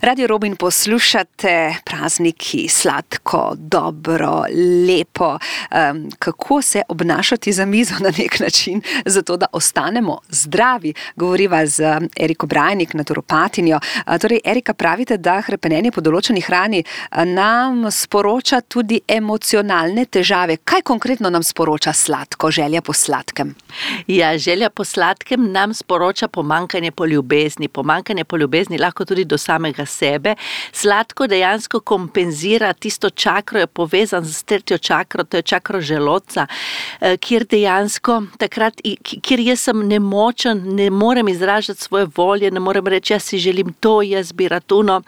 Radio Robin poslušate, prazniki, sladko, dobro, lepo. Kako se obnašati za mizo na nek način, zato da ostanemo zdravi. Govoriva z Eriko Brajnik, naturopatinjo. Torej, Erika, pravite, da hrepenenje po določeni hrani nam sporoča tudi emocionalne težave. Kaj konkretno nam sporoča sladko, želja po sladkem? Ja, želja po sladkem nam sporoča pomanjkanje po ljubezni. Pomanjkanje po ljubezni lahko tudi do samega sebe. Sladko dejansko kompenzira tisto čakro, je povezan z tretjo čakro, to je čakro želodca, kjer dejansko takrat, kjer jaz sem nemočen, ne morem izražati svoje volje, ne morem reči, jaz si želim to, jaz bi rad ono.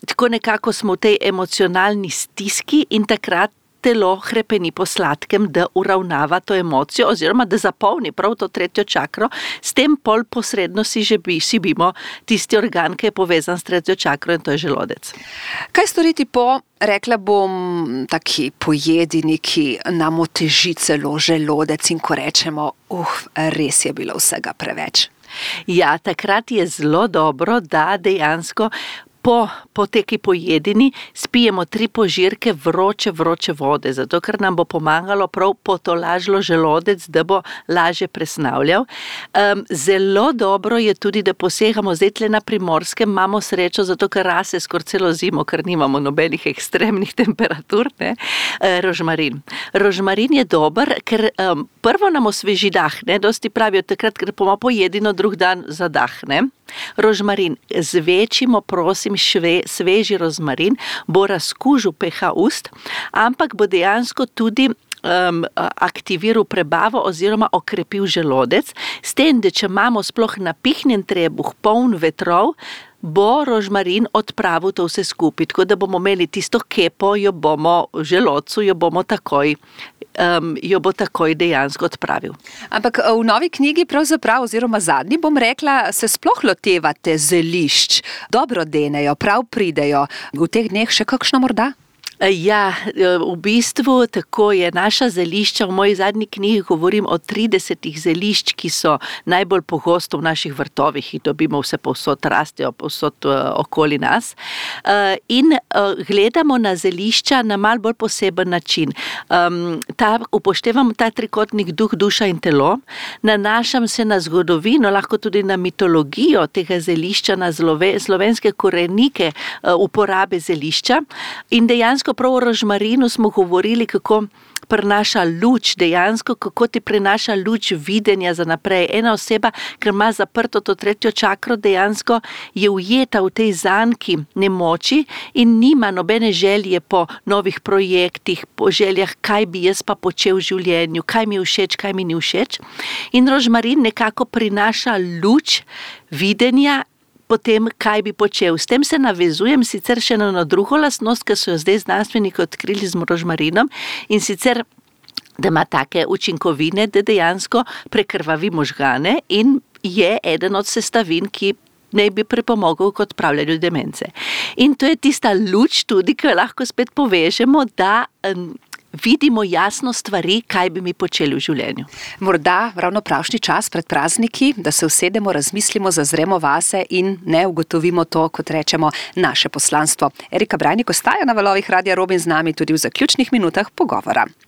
Tako nekako smo v tej emocionalni stiski in takrat telo hrepeni po sladkem, da uravnava to emocijo oziroma da zapolni prav to tretjo čakro, s tem pol posredno si šibimo tisti organ, ki je povezan s tretjo čakro, in to je želodec. Kaj storiti po, rekla bom, taki pojedini, ki nam oteži celo želodec in ko rečemo, res je bilo vsega preveč? Ja, takrat je zelo dobro, da dejansko po teki pojedini spijemo 3 požirke vroče vode, zato ker nam bo pomagalo prav potolažilo želodec, da bo lažje presnavljal. Zelo dobro je tudi, da posegamo zdaj tle na Primorskem, imamo srečo, zato ker rase skoraj celo zimo, ker nimamo nobenih ekstremnih temperatur, ne? Rožmarin. Rožmarin je dober, ker prvo nam osveži dah, ne? Dosti pravijo takrat, ker bomo pojedino drug dan zadahne. Rožmarin, zvečimo, prosim, sveži rozmarin, bo razkužil pH ust, ampak bo dejansko tudi aktiviral prebavo oziroma okrepil želodec, s tem, da če imamo sploh napihnjen trebuh, poln vetrov, bo rožmarin odpravil to vse skupaj, tako da bomo imeli tisto kepo, jo bomo v želodcu, jo bo takoj dejansko odpravil. Ampak v novi knjigi pravzaprav, oziroma zadnji, bom rekla, se sploh lotevate zelišč, dobro denejo, prav pridejo. V teh dneh še kakšno morda? Ja, v bistvu tako je naša zelišča, v moji zadnji knjigi govorim o 30 zelišč, ki so najbolj pogosto v naših vrtovih in dobimo vse povsod, rastejo povsod okoli nas. In gledamo na zelišča na malo bolj poseben način. Upoštevam ta trikotnik duh, duša in telo, nanašam se na zgodovino, lahko tudi na mitologijo tega zelišča, na slovenske korenike uporabe zelišča in dejansko prav o rožmarinu smo govorili, kako prinaša luč, dejansko, kako ti prinaša luč videnja za naprej. Ena oseba, ker ima zaprto to tretjo čakro, dejansko je ujeta v tej zanki nemoči in nima nobene želje po novih projektih, po željah, kaj bi jaz pa počel v življenju, kaj mi je všeč, kaj mi ni všeč. In rožmarin nekako prinaša luč videnja potem, kaj bi počel. S tem se navezujem sicer še na drugo lastnost, ki so jo zdaj znanstveniki odkrili z rožmarinom, in sicer, da ima take učinkovine, da dejansko prekrvavi možgane in je eden od sestavin, ki naj bi pripomogel k odpravljanju demence. In to je tista luč tudi, ki jo lahko spet povežemo, da vidimo jasno stvari, kaj bi mi počeli v življenju. Morda ravno pravšnji čas pred prazniki, da se usedemo, razmislimo, zazremo vase in ne ugotovimo to, kot rečemo, naše poslanstvo. Erika Brajnik ostaja na valovih Radia Robin z nami tudi v zaključnih minutah pogovora.